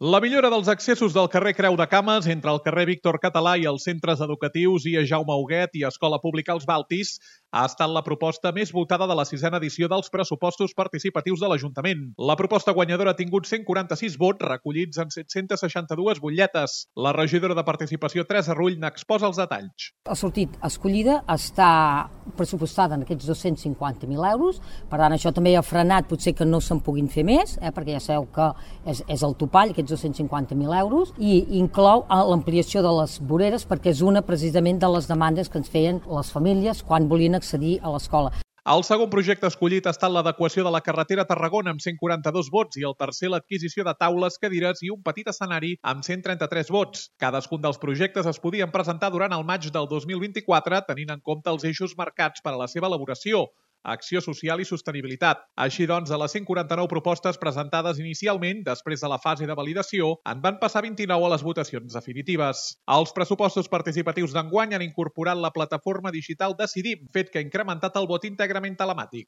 La millora dels accessos del carrer Creu de Cames entre el carrer Víctor Català i els centres educatius i Jaume Huguet i Escola Pública Els Baltis ha estat la proposta més votada de la 6a edició dels pressupostos participatius de l'Ajuntament. La proposta guanyadora ha tingut 146 vots recollits en 762 butlletes. La regidora de Participació, Teresa Rull, n'exposa els detalls. Ha sortit escollida, està pressupostada en aquests 250.000 euros, per tant això també ha frenat potser que no se'n puguin fer més, perquè ja sabeu que és el topall, aquests 250.000 euros, i inclou l'ampliació de les voreres perquè és una precisament de les demandes que ens feien les famílies quan volien accedir a l'escola. El segon projecte escollit ha estat l'adequació de la carretera a Tarragona amb 142 vots i el tercer l'adquisició de taules, cadires i un petit escenari amb 133 vots. Cadascun dels projectes es podien presentar durant el maig del 2024 tenint en compte els eixos marcats per a la seva elaboració, acció social i sostenibilitat. Així doncs, de les 149 propostes presentades inicialment, després de la fase de validació, en van passar 29 a les votacions definitives. Els pressupostos participatius d'enguany han incorporat la plataforma digital Decidim, fet que ha incrementat el vot íntegrament telemàtic.